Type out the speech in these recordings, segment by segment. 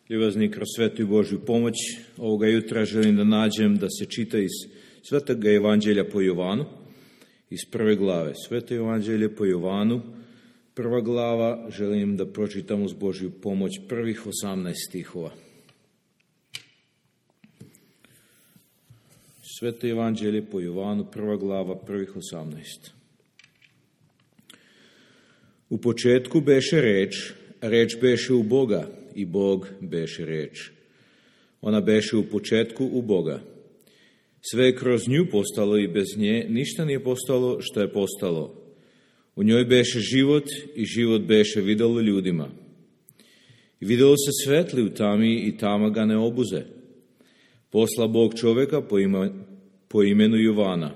Ljubazni, kroz svetu i Božju pomoć ovoga jutra želim da nađem da se čita iz Svetog Evanđelja po Jovanu, iz prve glave. Sveto Evanđelje po Jovanu, prva glava, želim da pročitam uz Božju pomoć prvih 18 stihova. Sveto Evanđelje po Jovanu, prva glava, prvih 18. U početku beše reč, a reč beše u Boga, i Bog beše reč. Ona beše u početku u Boga. Sve je kroz nju postalo i bez nje ništa nije postalo što je postalo. U njoj beše život i život beše videlo ljudima. I videlo se svetli u tami i tama ga ne obuze. Posla Bog čoveka po imenu Jovana.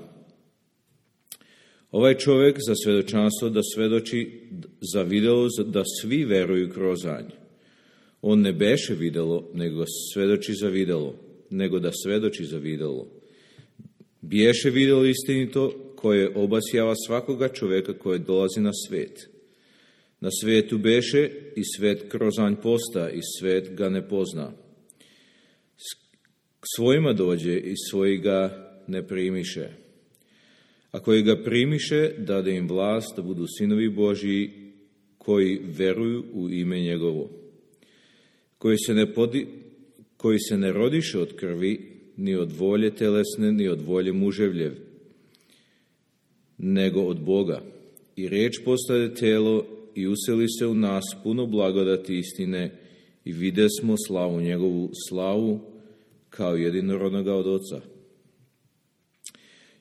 Ovaj čovek za svedočanstvo da svedoči za videlo da svi veruju kroz nj. On ne beše videlo, nego da svedoči za videlo. Biješe videlo istinito koje obasjava svakoga čoveka koje dolazi na svet. Na svetu beše i svet kroz nj posta i svet ga ne pozna. K svojima dođe i svoji ga ne primiše. A koji ga primiše, dade im vlast da budu sinovi Božji koji veruju u ime njegovo. Koji se ne rodiše od krvi, ni od volje telesne, ni od volje muževljev, nego od Boga. I reč postade telo i useli se u nas puno blagodati istine i videsmo slavu njegovu, slavu kao jedinorodnoga od Oca.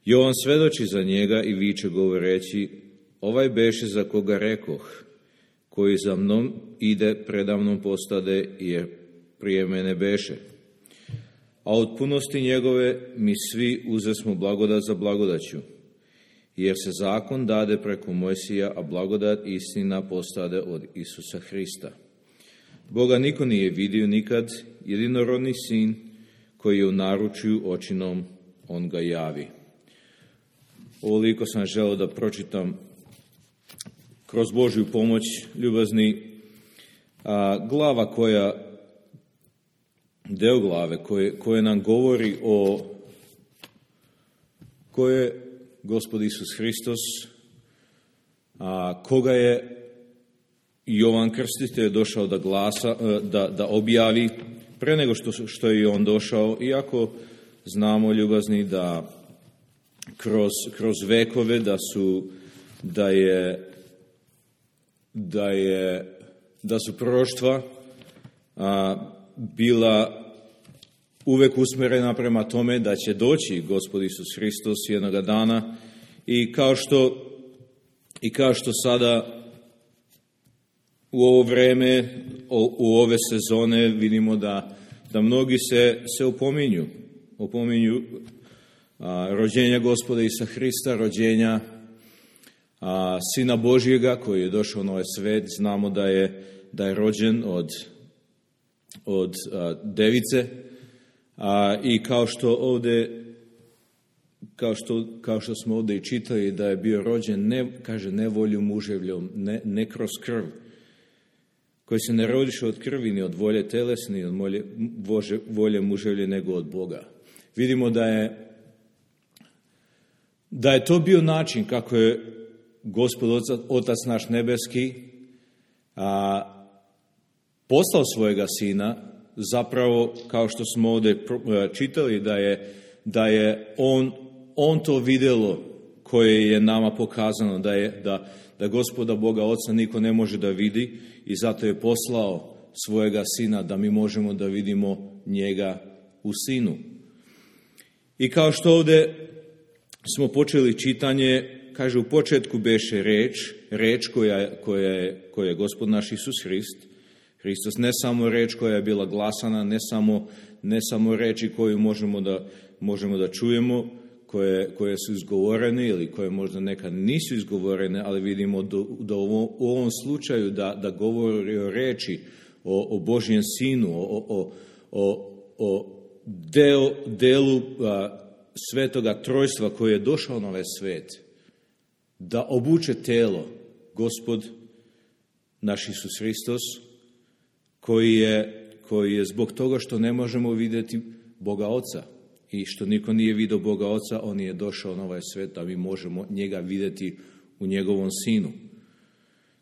Jovan svedoči za njega i viče govoreći, ovaj beše za koga rekoh, koji za mnom ide, predamnom postade, jer prije mene beše. A od punosti njegove mi svi uzesmo blagodat za blagodaću, jer se zakon dade preko Mojsija, a blagodat i istina postade od Isusa Hrista. Boga niko nije vidio nikad, jedinorodni sin koji je u naručju očinom, on ga javi. Ovoliko sam želeo da pročitam kroz Božju pomoć, ljubazni, glava deo glave koje nam govori o ko je Gospod Isus Hristos, koga je Jovan Krstitelj došao da glasa, da objavi pre nego što je on došao, iako znamo, ljubazni, da kroz vekove da su proroštva bila uvek usmerena prema tome da će doći Gospod Isus Hristos jednoga dana i kao što sada u ovo vreme, u ove sezone vidimo da mnogi se opominju rođenja Gospoda Isusa Hrista, rođenja Sina Božjega koji je došao na ovaj svet. Znamo da je rođen od device i kao što smo ovdje i čitali, da je bio rođen ne volju muževljom, ne kroz krv, koji se ne rodiše od krvi, ni od volje telesne, ni od volje muževlje, nego od Boga. Vidimo da je to bio način kako je Gospod Otac naš nebeski poslao svojega Sina, zapravo, kao što smo ovdje čitali, da je on to videlo koje je nama pokazano, da Gospoda Boga Oca niko ne može da vidi i zato je poslao svojega Sina da mi možemo da vidimo njega u Sinu. I kao što ovdje smo počeli čitanje, kaže, u početku beše reč koja je Gospod naš Isus Hristos, ne samo reč koja je bila glasana, ne samo reči koju možemo da čujemo, koje su izgovorene ili koje možda nekad nisu izgovorene, ali vidimo da u ovom slučaju da govori o reči, o Božjem Sinu, o delu svetoga trojstva koji je došao na ovaj svet, da obuče telo Gospod naš Isus Hristos, koji koji je zbog toga što ne možemo vidjeti Boga Oca i što niko nije vidio Boga Oca, on je došao na ovaj svijet, a mi možemo njega vidjeti u njegovom sinu.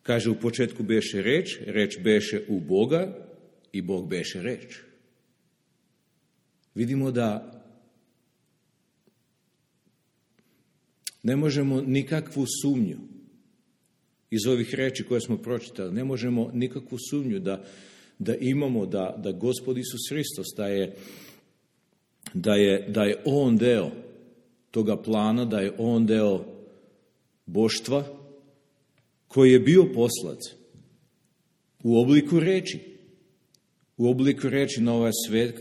Kaže, u početku beše reč, reč beše u Boga i Bog beše reč. Vidimo da ne možemo nikakvu sumnju iz ovih reči koje smo pročitali, ne možemo nikakvu sumnju da imamo da Gospod Isus Hristos, da je on deo toga plana, da je on deo boštva koji je bio poslat u obliku reči na ovaj svijet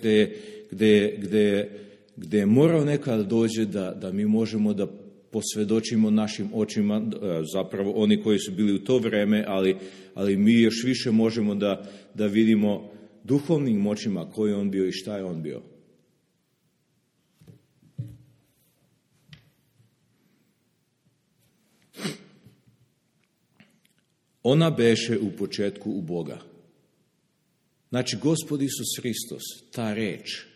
gdje je morao nekada dođe da mi možemo da posvjedočimo našim očima, zapravo oni koji su bili u to vrijeme, ali mi još više možemo da vidimo duhovnim očima koji je on bio i šta je on bio. Ona beše u početku u Boga. Znači, Gospod Isus Hristos, ta reč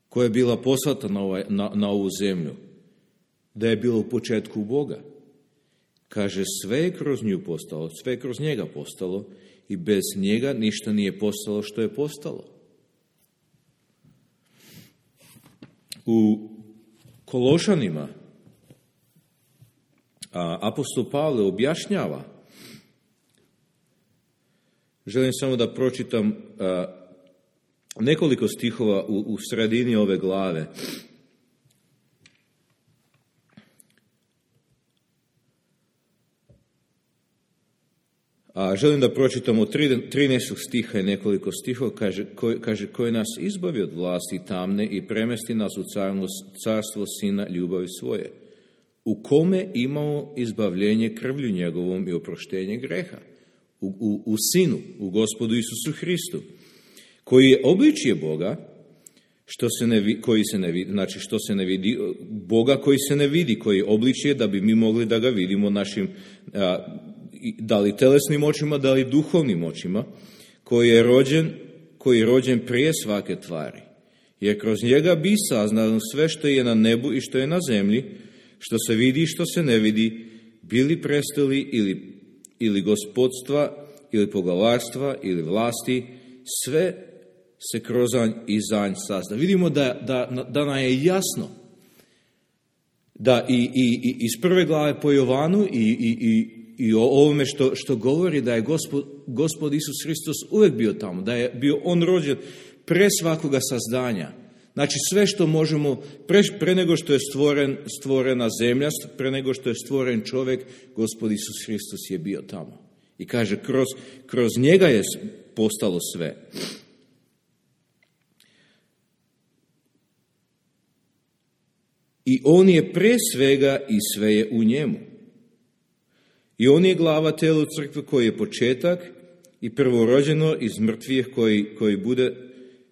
koja je bila poslata na ovu zemlju, da je bilo u početku u Boga. Kaže, sve je kroz nju postalo, sve je kroz njega postalo i bez njega ništa nije postalo što je postalo. U Kološanima apostol Pavle objašnjava, želim samo da pročitam nekoliko stihova u sredini ove glave. Želim da pročitam od 13. stiha i nekoliko stihova, kaže koji nas izbavi od vlasti tamne i premesti nas u carstvo Sina ljubavi svoje, u kome imamo izbavljenje krvlju njegovom i oproštenje greha, u Sinu, u Gospodu Isusu Hristu, koji je obličje Boga, što se ne vidi, Boga koji se ne vidi, koji je obličje da bi mi mogli da ga vidimo našim, da li telesnim očima, da li duhovnim očima, koji je rođen prije svake tvari. Jer kroz njega bi saznalo sve što je na nebu i što je na zemlji, što se vidi i što se ne vidi, bili prestoli ili gospodstva, ili poglavarstva, ili vlasti, sve se kroz i za nj sazna. Vidimo da nam je jasno da i iz prve glave po Jovanu i o ovome što govori da je Gospod Isus Hristos uvijek bio tamo, da je bio on rođen pre svakoga sazdanja. Znači sve što možemo, pre nego što je stvorena zemlja, pre nego što je stvoren čovjek, Gospod Isus Hristos je bio tamo. I kaže, kroz njega je postalo sve. I on je pre svega i sve je u njemu. I on je glava telu crkve koji je početak i prvorođeno iz mrtvih koji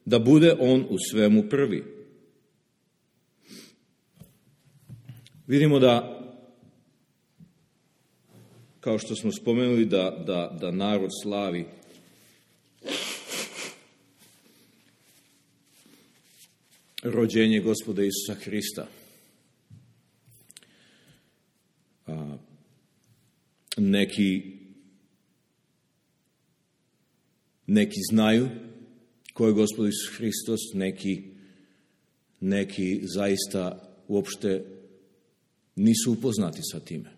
da bude on u svemu prvi. Vidimo da, kao što smo spomenuli, da narod slavi rođenje Gospoda Isusa Hrista. Neki znaju ko je Gospod Isus Hristos, neki zaista uopšte nisu upoznati sa time.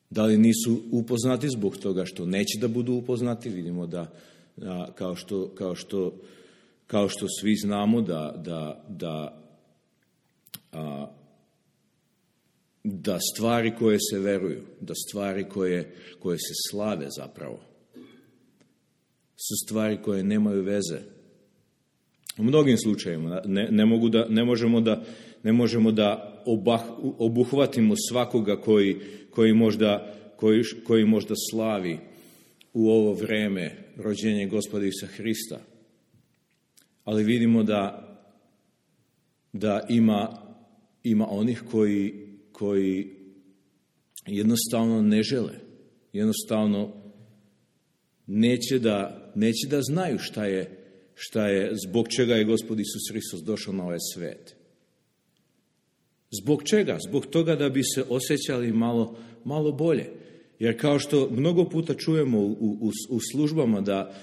Da li nisu upoznati zbog toga što neće da budu upoznati? Vidimo da kao što svi znamo da stvari koje se veruju, da stvari koje se slave zapravo, su stvari koje nemaju veze. U mnogim slučajevima ne možemo da obuhvatimo svakoga koji možda slavi u ovo vrijeme rođenje Gospoda Isusa Hrista. Ali vidimo da ima onih koji jednostavno ne žele, jednostavno neće da znaju šta je, zbog čega je Gospod Isus Hristos došao na ovaj svet. Zbog čega? Zbog toga da bi se osjećali malo bolje. Jer kao što mnogo puta čujemo u službama da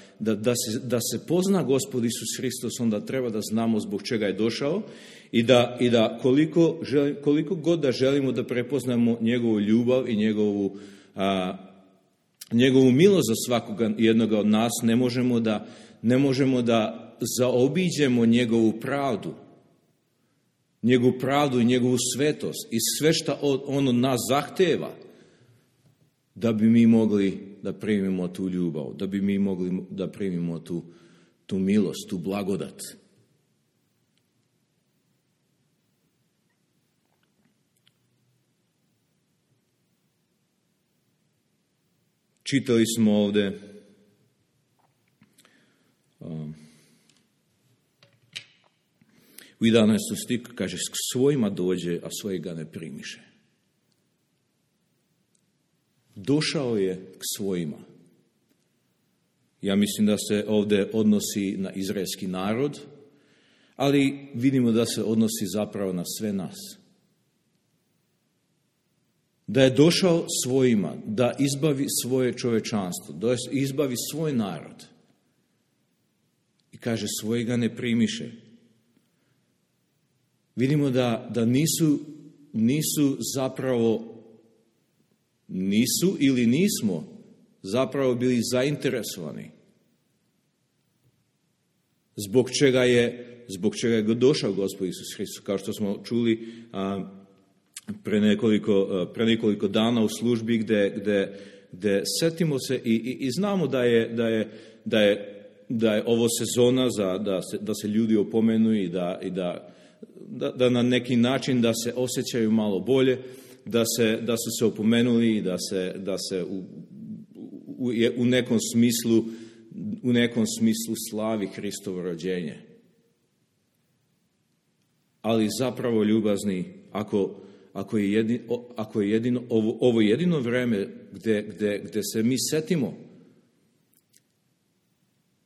se pozna Gospod Isus Hristos, onda treba da znamo zbog čega je došao i da koliko god da želimo da prepoznamo njegovu ljubav i njegovu milost za svakoga jednoga od nas, ne možemo da zaobiđemo njegovu pravdu i njegovu svetost i sve što on od nas zahteva, da bi mi mogli da primimo tu ljubav, da bi mi mogli da primimo tu milost, tu blagodat. Čitali smo ovdje u 11. stihu, kaže, k svojima dođe, a svoji ga ne primiše. Došao je k svojima. Ja mislim da se ovdje odnosi na izraelski narod, ali vidimo da se odnosi zapravo na sve nas. Da je došao svojima, da izbavi svoje čovečanstvo, da izbavi svoj narod. I kaže, svoji ga ne primiše. Vidimo da nisu zapravo, nisu ili nismo zapravo bili zainteresovani. Zbog čega je došao Gospod Isus Hristos, kao što smo čuli pre nekoliko dana u službi gde setimo se i znamo da je ovo sezona da se ljudi opomenu i da na neki način da se osjećaju malo bolje, da su se opomenuli i da se u nekom smislu slavi Hristovo rođenje. Ali zapravo, ljubazni, ako je ovo jedino vreme gde se mi setimo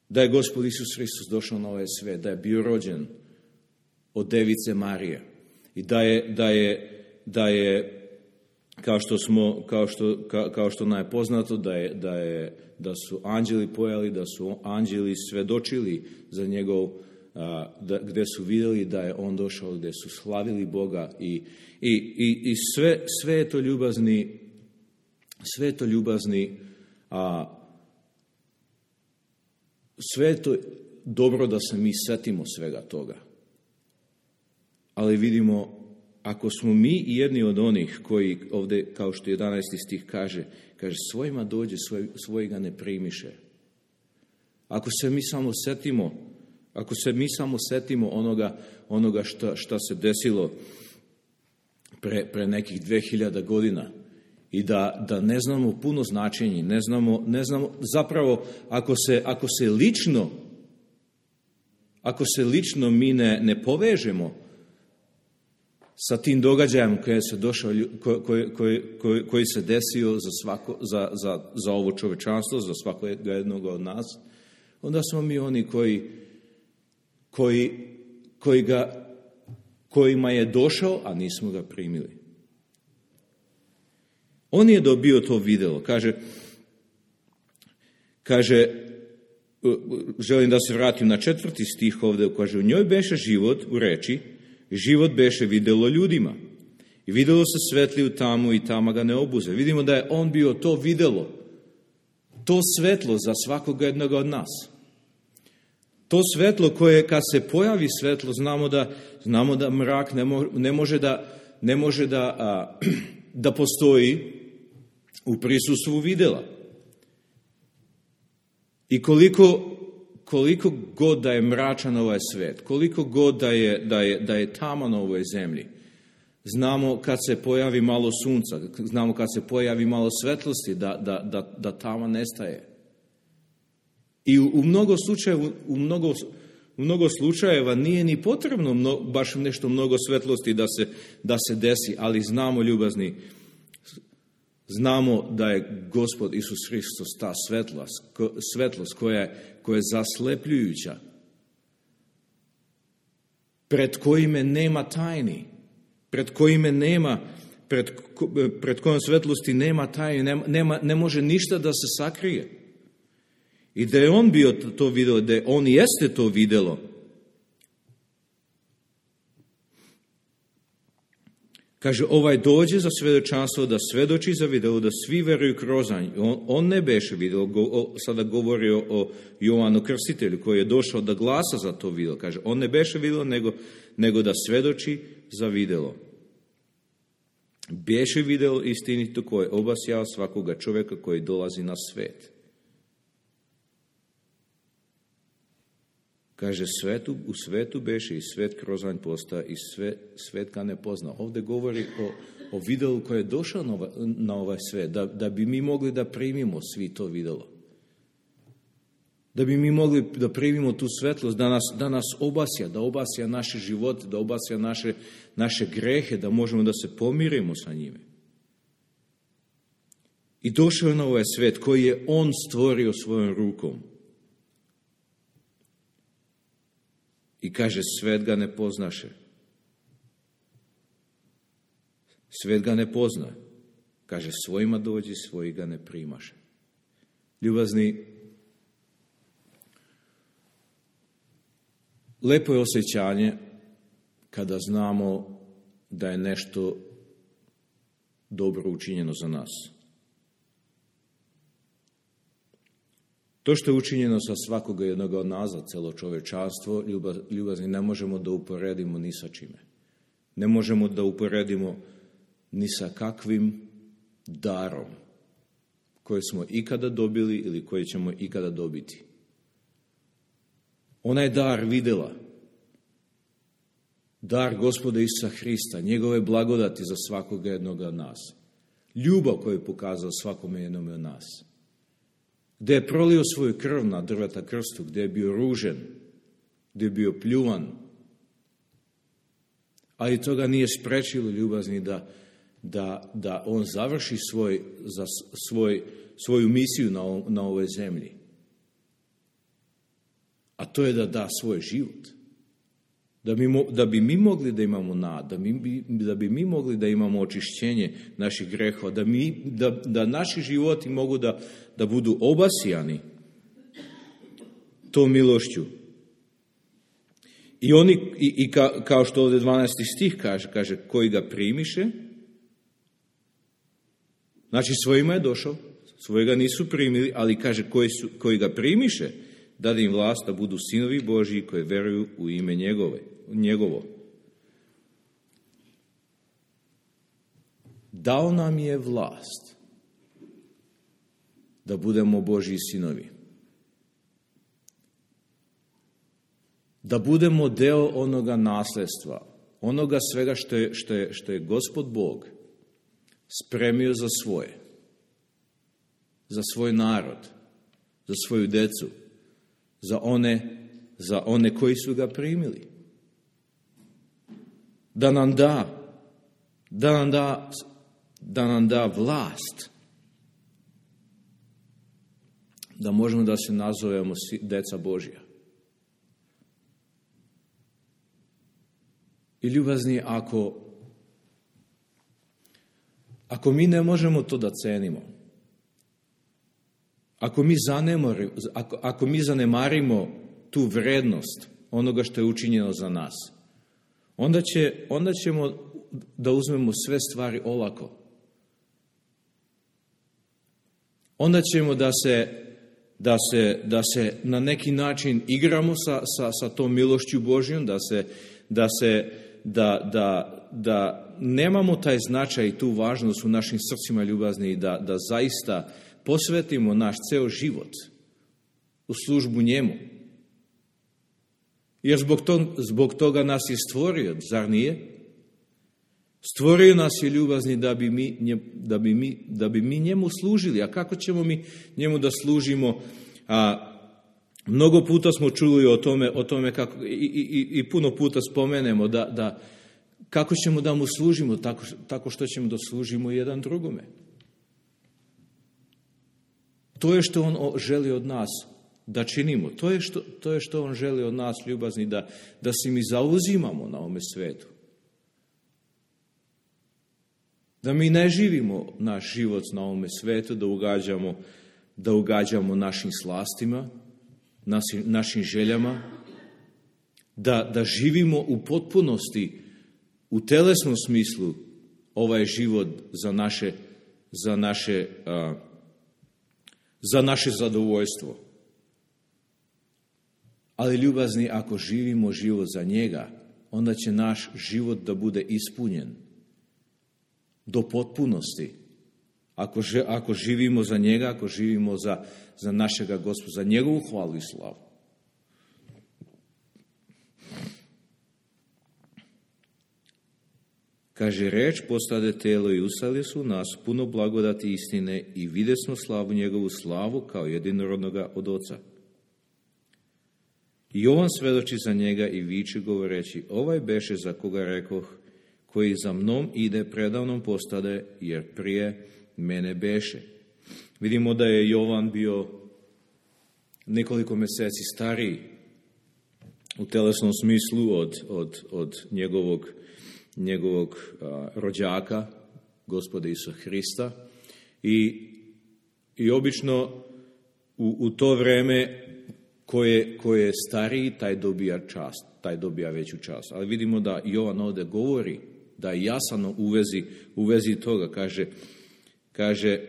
da je Gospod Isus Hristos došao na ovaj svet, da je bio rođen od Device Marije i da je kao što nam je poznato da su anđeli pojeli, da su anđeli svedočili za njegov, gde su vidjeli da je on došao, gde su slavili Boga i sve je to ljubazni, sve je to dobro da se mi setimo svega toga. Ali vidimo, ako smo mi jedni od onih koji ovdje, kao što 11. stih kaže, svojima dođe, svoji ga ne primiše. Ako se mi samo setimo onoga šta se desilo pre nekih 2000 godina i da ne znamo puno značenje, ne znamo zapravo ako se lično mi ne povežemo sa tim događajem koji se desio za ovo čovečanstvo, za svakog jednog od nas, onda smo mi oni kojima je došao, a nismo ga primili. On je dobio to videlo. Kaže, želim da se vratim na 4. stih ovdje, kaže, u njoj beše život u reči, život beše videlo ljudima. I videlo se svetli u tamu i tama ga ne obuze. Vidimo da je on bio to videlo, to svetlo za svakog jednog od nas. To svetlo koje kad se pojavi svetlo, znamo da mrak ne može da postoji u prisustvu videla. I koliko god da je mračan ovaj svet, koliko god da je tama na ovoj zemlji, znamo kad se pojavi malo sunca, znamo kad se pojavi malo svetlosti, da tama nestaje. I u mnogo slučajeva nije ni potrebno baš nešto mnogo svetlosti da se desi, ali znamo, ljubazni, Znamo da je Gospod Isus Hristos ta svetlost koja je zaslepljujuća, pred kojime nema tajni, pred kojom svetlosti nema tajni, ne može ništa da se sakrije. I da je on bio to video, da on jeste to videlo, kaže, ovaj dođe za svedočanstvo da svedoči za videlo, da svi veruju kroz nj. On ne beše videlo, sada govori o Jovanu Krstitelju koji je došao da glasa za to videlo. Kaže, on ne beše videlo, nego da svedoči za videlo. Beše videlo istinito koje obasjava svakoga čovjeka koji dolazi na svet. Kaže, u svetu beše i svet kroz nj postaje i svet ga ne pozna. Ovdje govori o videlu koje je došao na ovaj svet, da bi mi mogli da primimo svi to videlo. Da bi mi mogli da primimo tu svetlost, da nas obasja, da obasja naše živote, da obasja naše grehe, da možemo da se pomirimo sa njime. I došao je na ovaj svet koji je on stvorio svojom rukom. I kaže, svet ga ne poznaše. Svet ga ne pozna. Kaže, svojima dođi, svoji ga ne primaše. Ljubazni, lepo je osjećanje kada znamo da je nešto dobro učinjeno za nas. To što je učinjeno sa svakoga jednoga od nas, za celo čovečanstvo, ljubazni, ne možemo da uporedimo ni sa čime. Ne možemo da uporedimo ni sa kakvim darom koji smo ikada dobili ili koji ćemo ikada dobiti. Onaj dar videla, dar Gospoda Isusa Hrista, njegove blagodati za svakoga jednoga od nas. Ljubav koju je pokazao svakome jednome od nas. Gdje je prolio svoju krv na drveta krstu, gdje je bio ružen, gdje je bio pljuvan. Ali toga nije sprečilo, ljubazni, da on završi svoju misiju na ovoj zemlji. A to je da da svoj život. Da bi mi mogli da imamo nadu, da bi mi mogli da imamo očišćenje naših grehova, da naši životi mogu da budu obasjani tom milošću. I kao što ovdje 12. stih kaže, koji ga primiše, znači svojima je došao, svojega nisu primili, ali kaže koji ga primiše, dade im vlast da budu sinovi Božji koji veruju u ime njegovo. Dao nam je vlast da budemo Božji sinovi. Da budemo deo onoga nasljedstva, onoga svega što je Gospod Bog spremio za svoje, za svoj narod, za svoju decu, za one koji su ga primili. Da nam da vlast, da možemo da se nazovemo deca Božja. I ljubazni, ako mi ne možemo to da cenimo, ako mi zanemarimo tu vrednost onoga što je učinjeno za nas, onda ćemo da uzmemo sve stvari olako. Onda ćemo da se na neki način igramo sa tom milošću Božjom, da nemamo taj značaj i tu važnost u našim srcima ljubazni, da zaista posvetimo naš ceo život u službu njemu. Jer zbog toga nas je stvorio, zar nije? Stvorio nas je ljubazni da bi mi njemu služili. A kako ćemo mi njemu da služimo? Mnogo puta smo čuli o tome kako, i puno puta spomenemo kako ćemo da mu služimo, tako što ćemo da služimo jedan drugome. To je što on želi od nas da činimo. To je što on želi od nas, ljubazni, da se mi zauzimamo na ovome svetu. Da mi ne živimo naš život na ovome svetu, da ugađamo našim slastima, našim željama, da živimo u potpunosti, u telesnom smislu, ovaj život za naše zadovoljstvo. Ali ljubazni, ako živimo život za njega, onda će naš život da bude ispunjen do potpunosti. Ako živimo za njega, ako živimo za našega Gospoda, za njegovu hvalu i slavu. Kaže, reč postade telo i usali su nas puno blagodati istine i vide smo slavu njegovu slavu kao jedinorodnoga od Oca. I Jovan svedoči za njega i viče govoreći, ovaj beše za koga rekoh, koji za mnom ide predavnom postade, jer prije mene beše. Vidimo da je Jovan bio nekoliko mjeseci stariji u telesnom smislu od njegovog rođaka, Gospoda Isusa Hrista. I obično u to vreme ko je stariji, taj dobija čast, taj dobija veću čast. Ali vidimo da Jovan ovdje govori, da je jasno u vezi toga, kaže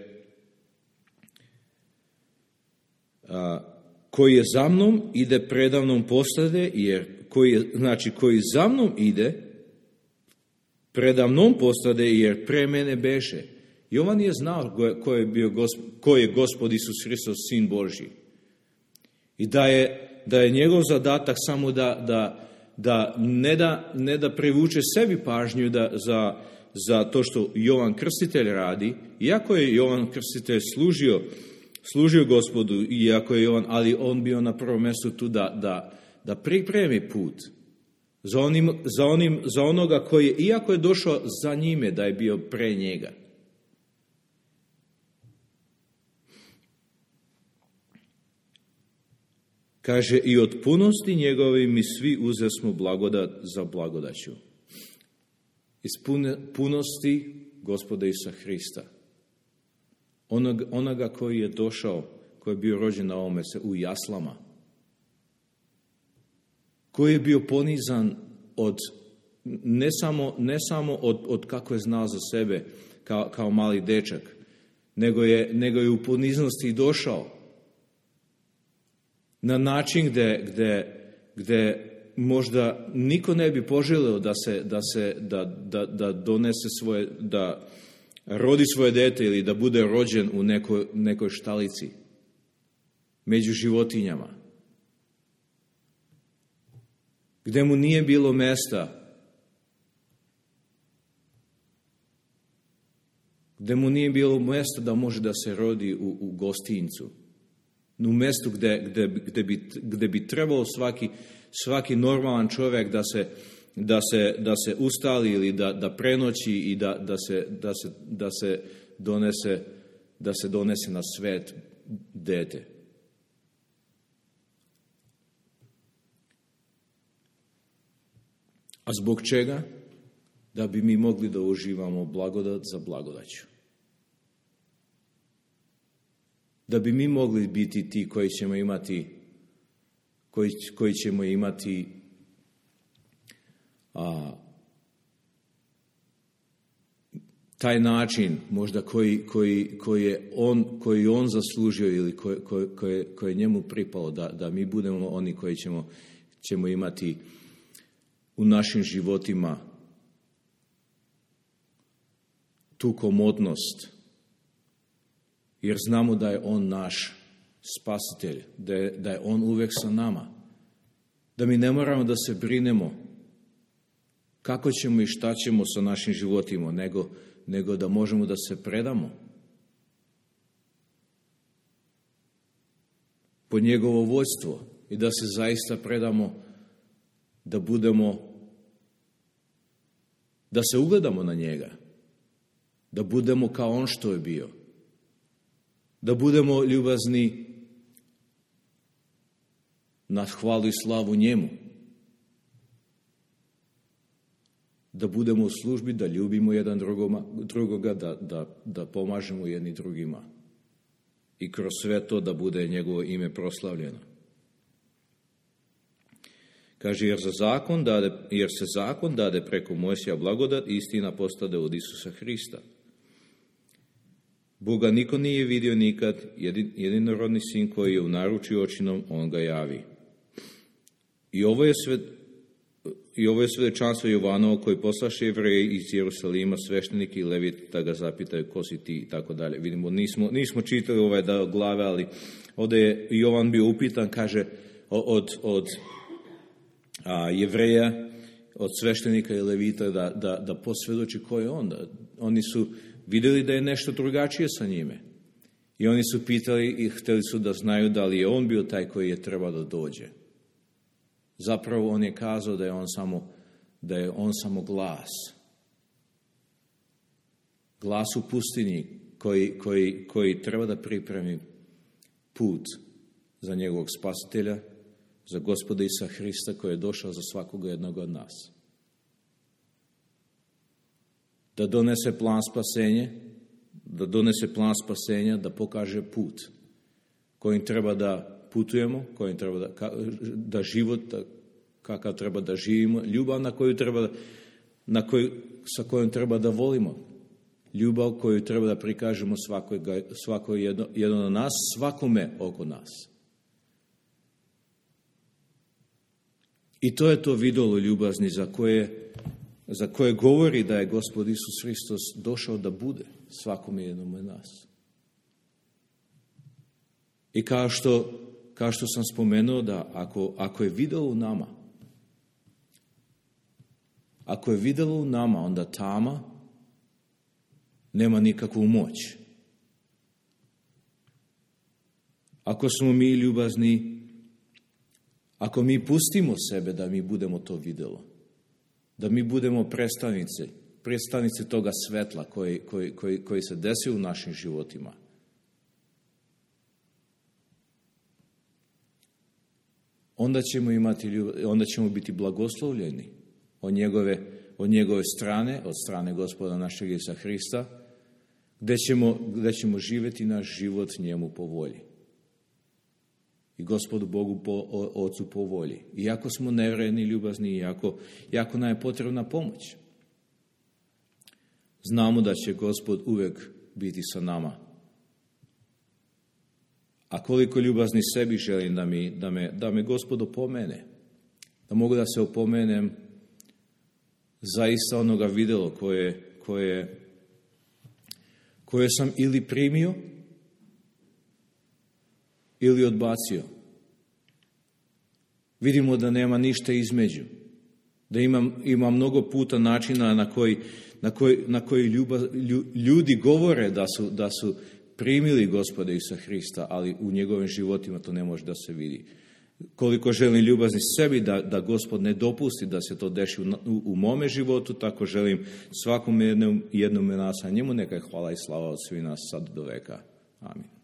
koji je za mnom ide predavnom postade, jer koji za mnom ide predavnom postade, jer pre mene beše. Jovan je znao ko je Gospod Isus Hristos, Sin Božji. I da je njegov zadatak samo da ne da privuče sebi pažnju za to što Jovan Krstitelj radi, iako je Jovan Krstitelj služio Gospodu, ali on bio na prvom mjestu tu da pripremi put za onoga koji, iako je došao za njime, da je bio pre njega. Kaže, i od punosti njegove mi svi uzesmo blagodat za blagodaću. Iz punosti Gospoda Isusa Hrista. Onoga koji je došao, koji je bio rođen na ovome se u jaslama. Koji je bio ponizan ne samo od kako je znao za sebe kao mali dečak, nego je u poniznosti došao na način gdje možda niko ne bi poželio da donese svoje, da rodi svoje dete ili da bude rođen u nekoj štalici među životinjama, gdje mu nije bilo mjesta, da može da se rodi u gostincu, u mjestu gdje bi trebao svaki normalan čovjek da se ustali ili da prenoći i da se donese na svet dete. A zbog čega? Da bi mi mogli da uživamo blagodat za blagodaću. Da bi mi mogli biti ti koji ćemo imati taj način možda koji on zaslužio ili koji je njemu pripalo, da mi budemo oni koji ćemo imati u našim životima tu komodnost, jer znamo da je on naš spasitelj, da je on uvijek sa nama, da mi ne moramo da se brinemo kako ćemo i šta ćemo sa našim životima, nego da možemo da se predamo pod njegovo vodstvo i da se zaista predamo, da se ugledamo na njega, da budemo kao on što je bio. Da budemo ljubazni na hvalu i slavu njemu. Da budemo u službi, da ljubimo jedan drugoga, da pomažemo jedni drugima. I kroz sve to da bude njegovo ime proslavljeno. Kaže, jer se zakon dade preko Mojsija, blagodat i istina postade od Isusa Hrista. Boga niko nije vidio nikad, jedinorodni sin koji je u naručju očinom, on ga javi. I ovo je svjedočanstvo Jovanovo koji poslaše Jevreji iz Jerusalima, svešteniki i leviti, da ga zapitaju ko si ti i tako dalje. Vidimo, nismo čitali glave, ali ovdje je Jovan bio upitan, kaže, od Jevreja, od sveštenika i levita da posvjedoči ko je on. Oni su vidjeli da je nešto drugačije sa njime. I oni su pitali i htjeli su da znaju da li je on bio taj koji je trebao da dođe. Zapravo on je kazao da je on samo glas. Glas u pustinji koji treba da pripremi put za njegovog spasitelja, za Gospoda Isusa Hrista koji je došao za svakoga jednog od nas. Da donese plan spasenja, da pokaže put kojim treba da putujemo, kojim treba da život, kakav treba da živimo, ljubav sa kojom treba da volimo, ljubav koju treba da prikažemo svako jedno od nas, svakome oko nas. I to je to vidjelo ljubazni za koje govori da je Gospod Isus Hristos došao da bude svakome jednom od nas. I kao što sam spomenuo da ako je vidjelo u nama, onda tama nema nikakvu moć. Ako smo mi ljubazni, ako mi pustimo sebe da mi budemo to vidjelo, da mi budemo predstavnici toga svetla koji se desi u našim životima, onda ćemo biti blagoslovljeni od njegove strane, od strane Gospoda našeg Isusa Hrista, gdje ćemo živjeti naš život njemu po volji. I Gospodu Bogu Ocu po volji. Iako smo nevredni, ljubazni, iako nam je potrebna pomoć. Znamo da će Gospod uvijek biti sa nama. A koliko ljubazni sebi želim da me Gospod opomene, da mogu da se opomenem zaista onoga vidjelo koje sam ili primio ili odbacio. Vidimo da nema ništa između. Da ima mnogo puta načina na koji ljudi govore da su primili Gospoda Isusa Hrista, ali u njegovim životima to ne može da se vidi. Koliko želim ljubazni sebi da Gospod ne dopusti da se to deši u mome životu, tako želim svakom jednom nas, a njemu neka je hvala i slava od svih nas sad do veka. Amin.